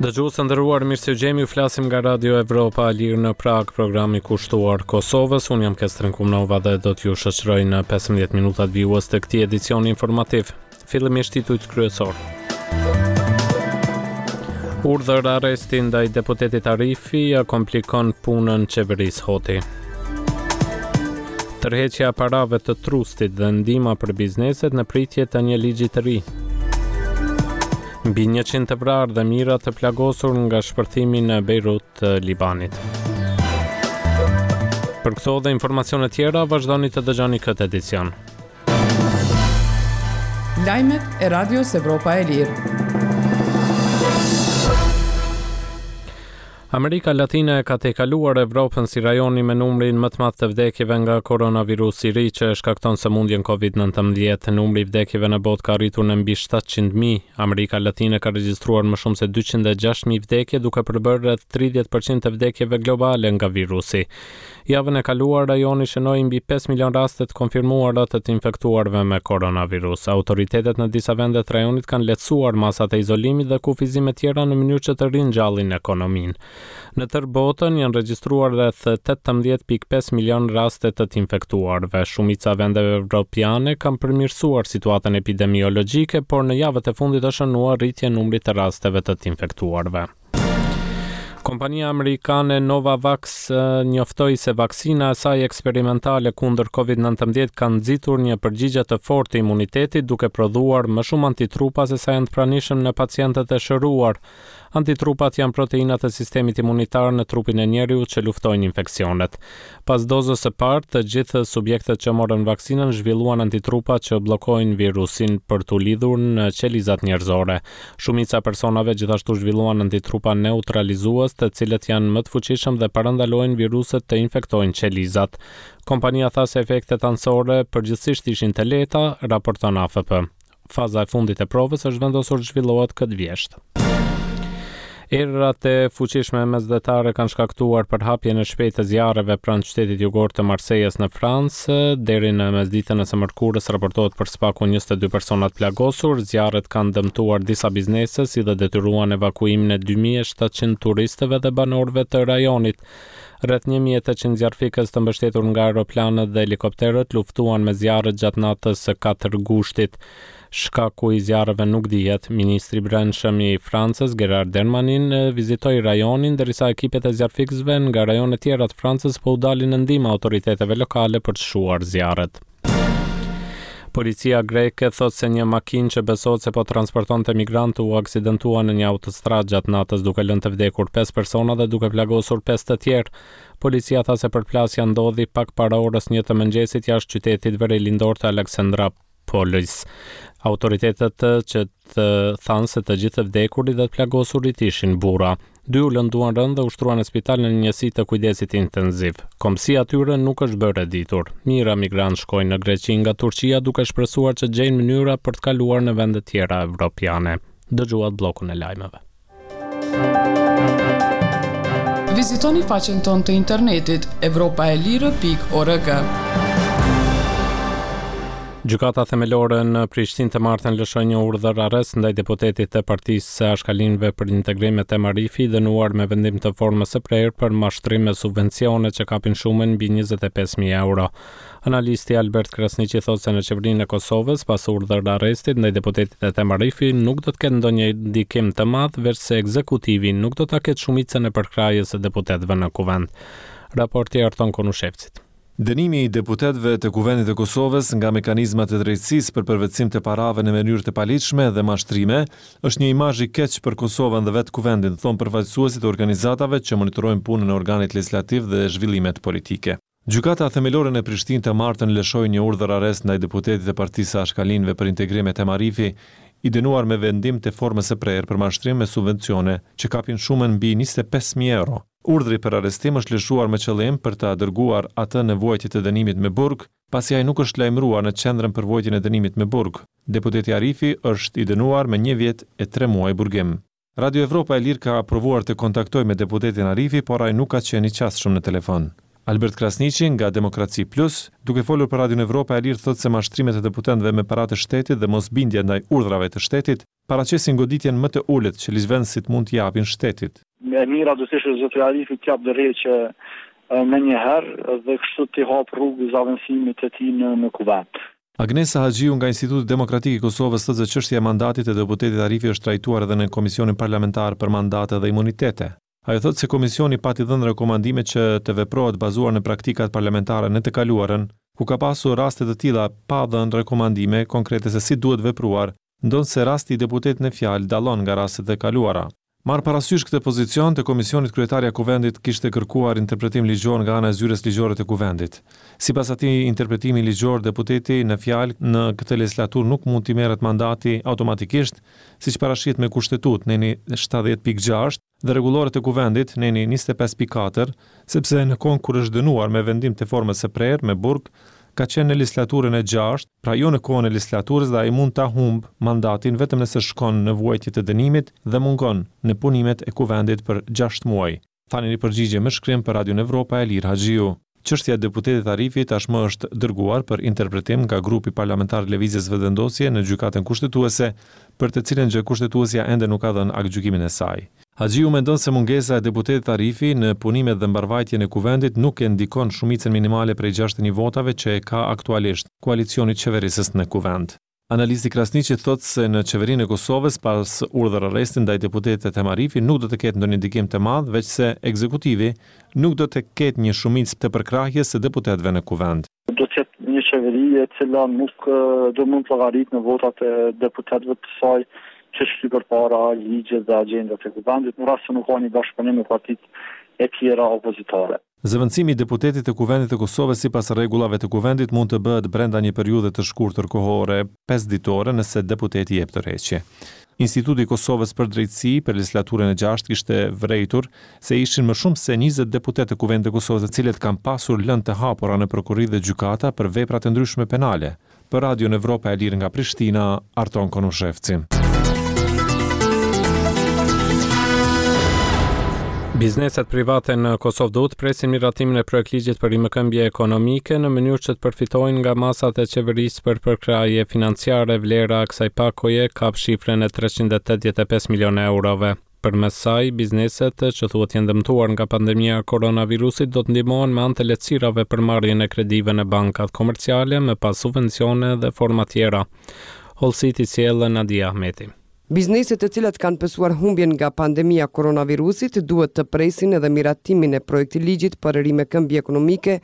Dëgjues të nderuar, mirë se ju gjejmë, ju flasim nga Radio Evropa e Lirë në Pragë, programi kushtuar Kosovës. Unë jam Kestrin Kumnova dhe do t'ju shoqëroj në 15 minutat vijues të këtij edicioni informativ. Fillimisht titujt kryesorë. Urdhër arresti ndaj deputetit Arifi ia komplikon punën qeverisë Hoti. Tërheqja e parave të trustit dhe ndihma për bizneset në pritje të një ligji të ri. Mbi 100 të vrarë dhe mijëra të plagosur nga shpërthimi në Bejrut të Libanit. Për këto dhe informacione tjera, vazhdoni të dëgjoni këtë edicion. Lajmet e Radios Evropa e Lirë. Amerika Latine e ka tejkaluar Evropën si rajoni me numrin më të madh të vdekjeve nga koronavirusi i ri që e shkakton sëmundjen COVID-19. Numri i vdekjeve në botë ka arritur në mbi 700.000. Amerika Latine ka regjistruar më shumë se 206.000 vdekje, duke përbërë rreth 30% të vdekjeve globale nga virusi. Javën e kaluar, rajoni shënoi mbi 5 milionë raste të konfirmuara të të infektuarve me koronavirus. Autoritetet në disa vende të rajonit kanë lehtësuar masat e izolimit dhe kufizime tjera në mënyrë që të ringjallin ekonominë. Në tërë botën janë regjistruar rreth 18.5 milionë raste të të infektuarve. Shumica e vendeve evropiane kanë përmirësuar situatën epidemiologjike, por në javët e fundit është shënuar rritje e numrit të rasteve të të infektuarve. Kompania amerikane Novavax njoftoi se vaksina e saj eksperimentale kundër COVID-19 ka nxitur një përgjigje të fortë të imunitetit duke prodhuar më shumë antitrupa se sa janë të pranishëm në pacientët e shëruar. Antitrupat janë proteinat e sistemit imunitar në trupin e njeriut që luftojnë infeksionet. Pas dozës së parë, të gjithë subjektet që morën vaksinën zhvilluan antitrupa që bllokojnë virusin për t'u lidhur në qelizat njerëzore. Shumica e personave gjithashtu zhvilluan antitrupa neutralizues, të cilët janë më të fuqishëm dhe parandalojnë viruset të infektojnë qelizat. Kompania tha se efektet anësore përgjithësisht ishin të lehta, raporton AFP. Faza e fundit e provës është vendosur të zhvillohet këtë vjeshtë. Erërat e fuqishme mesdhetare kanë shkaktuar përhapjen e shpejtë të zjarreve pranë qytetit jugor të Marsejës në Francë. Deri në mesditën e së mërkurës raportohet për së paku 22 persona të plagosur. Zjarret kanë dëmtuar disa biznese si dhe detyruan evakuimin e 2700 turistëve dhe banorëve të rajonit. Rreth 1800 zjarrfikës të mbështetur nga aeroplanët dhe helikopterët luftuan me zjarret gjatë natës së 4 gushtit. Shkaku i zjarreve nuk dihet. Ministri i Brendshëm i Francës, Gerard Darmanin, vizitoi rajonin, derisa ekipet e zjarrfikësve nga rajone tjera të Francës po u dalin në ndihmë autoriteteve lokale për të shuar zjarret. Policia greke thotë se një makinë që besohet se po transportonte migrantë u aksidentua në një autostradë gjatë natës duke lënë të vdekur 5 persona dhe duke plagosur 5 të tjerë. Policia tha se përplasja ndodhi pak para orës 1 të mëngjesit jashtë qytetit verilindor të Aleksandropolis. Autoritetet që të thanë se të gjithë të vdekurit dhe të plagosurit ishin burra. Dy u lënduan rëndë dhe u shtruan në spital në njësi të kujdesit intenziv. Kombësia e tyre nuk është bërë e ditur. Mijëra migrantë shkojnë në Greqi nga Turqia duke shpresuar që të gjejnë mënyra për të kaluar në vende tjera evropiane. Dëgjuat bllokun e lajmeve. Vizitoni faqen tonë të internetit evropaelire.org. Gjykata Themelore në Prishtinë të martën lëshoi një urdhër arrest ndaj deputetit të Partisë së Ashkalinjve për Integrim Ethem Arifi, i dënuar me vendim të formës së prerë për mashtrim me subvencione që kapin shumën mbi 25.000 euro. Analisti Albert Krasniqi thotë se në Qeverinë e Kosovës, pas urdhër-arrestit ndaj deputetit Ethem Arifi, nuk do të ketë ndonjë ndikim të madh, veçse ekzekutivi nuk do ta ketë shumicën e përkrahjes së deputetëve në Kuvend. Raporti i Arton Konushevcit. Dënimi i deputetëve të Kuvendit të Kosovës nga mekanizmat e drejtësisë për përvetësim të parave në mënyrë të paligjshme dhe mashtrime, është një imazh i keq për Kosovën dhe vetë Kuvendin, thonë përfaqësuesit e organizatave që monitorojnë punën e organit legjislativ dhe zhvillimet politike. Gjykata Themelore në Prishtinë të martën lëshoi një urdhër-arrest ndaj deputetit të Partisë së Ashkalinjve për Integrim Ethem Arifi, i dënuar me vendim të formës së prerë për mashtrim me subvencione që kapin shumën mbi 25,000 euro. Urdhri për arrestim është lëshuar me qëllim për ta dërguar atë në vuajtje të dënimit me burg, pasi ai nuk është lajmëruar në Qendrën për Vuajtjen e Dënimit me Burg. Deputeti Arifi është i dënuar me një vjet e tre muaj burgim. Radio Evropa e Lirë ka provuar të kontaktojë me deputetin Arifi, por ai nuk ka qenë i qasshëm në telefon. Albert Krasniqi nga Demokraci Plus, duke folur për Radion Evropa e Lirë thotë se mashtrimet e deputetëve me paratë e shtetit dhe mosbindja ndaj urdhrave të shtetit paraqesin goditjen më të ulët që ligjvënësit mund t'i japin shtetit. E mira do të ishte zotëri Arifi të japë dorëheqje menjëherë dhe kështu t'i hapë rrugë zavendësimit të tij në në Kuvend. Agnesa Haxhiu nga Instituti Demokratik i Kosovës thotë se çështja e mandatit të deputetit Arifi është trajtuar edhe në Komisionin Parlamentar për Mandate dhe Imunitete. Ajo thotë se komisioni pati dhënë rekomandime që të veprohet bazuar në praktikat parlamentare në të kaluarën, ku ka pasur raste të tilla pa dhënë rekomandime konkrete se si duhet vepruar, ndonëse rasti i deputetit në fjalë dallon nga rastet e kaluara. Marrë parasysh këtë pozicion të komisionit kryetarja e Kuvendit kishte kërkuar interpretim ligjor nga ana e Zyrës Ligjore të Kuvendit. Sipas atij interpretimi ligjor deputeti në fjalë në këtë legjislaturë nuk mund t'i merret mandati automatikisht, siç parashihet me Kushtetutë, neni 70.6, dhe rregulloret e Kuvendit, neni 25.4, sepse në kohën kur është dënuar me vendim të formës së prerë, me burg, ka qenë në legjislaturën e gjashtë, pra jo në kohën e legjislaturës dhe ai mund ta humbë mandatin vetëm nëse shkon në vuajtje të dënimit dhe mungon në punimet e Kuvendit për gjashtë muaj, tha në një përgjigje me shkrim për Radion Evropa e Lirë Haxhiu. Çështja e deputetit Arifi tashmë është dërguar për interpretim nga grupi parlamentar i Lëvizjes Vetëvendosje në Gjykatën Kushtetuese, për të cilën gjë Kushtetuesja ende nuk ka dhënë aktgjykimin e saj. Haxhiu mendon se mungesa e deputetit Arifi në punimet dhe mbarëvajtjen e Kuvendit nuk e ndikon shumicën minimale prej 61 votave që e ka aktualisht koalicioni qeverisës në Kuvend. Analisti Krasniqi thotë se në Qeverinë e Kosovës pas urdhër-arrestit ndaj deputetit Ethem Arifi nuk do të ketë ndonjë ndikim të madh, veçse ekzekutivi nuk do të ketë një shumicë të përkrahjes së deputetëve në Kuvend. Do të jetë një qeveri e cila nuk do mund të llogaritë në votat e deputetëve të saj që shty përpara ligjet dhe agjendat e Kuvendit, në rast se nuk ka një bashkëpunim me partitë e tjera opozitare. Zëvendësimi i deputetit të Kuvendit të Kosovës sipas rregullave të Kuvendit mund të bëhet brenda një periudhe të shkurtër kohore, pesë ditore, nëse deputeti jep dorëheqje. Instituti i Kosovës për Drejtësi për legjislaturën e gjashtë kishte vërejtur se ishin më shumë se 20 deputetë të Kuvendit të Kosovës të cilët kanë pasur lëndë të hapura në prokurori dhe gjykata për vepra të ndryshme penale. Për Radion Evropa e Lirë nga Prishtina, Arton Konushevci. Bizneset private në Kosovë duhet të presin miratimin e projektligjit për rimëkëmbje ekonomike në mënyrë që të përfitojnë nga masat e qeverisë për përkrahje financiare. Vlera e kësaj pakoje kap shifrën e 385 milionë eurove. Përmes saj, bizneset që thuhet janë dëmtuar nga pandemia e koronavirusit do të ndihmohen me anë të lehtësirave për marrjen e kredive në bankat komerciale, më pas subvencione dhe forma tjera. Hollësitë i sjell Nadia Ahmeti. Bizneset të cilat kanë pësuar humbjen nga pandemia e koronavirusit duhet të presin edhe miratimin e projektligjit për rimëkëmbje ekonomike.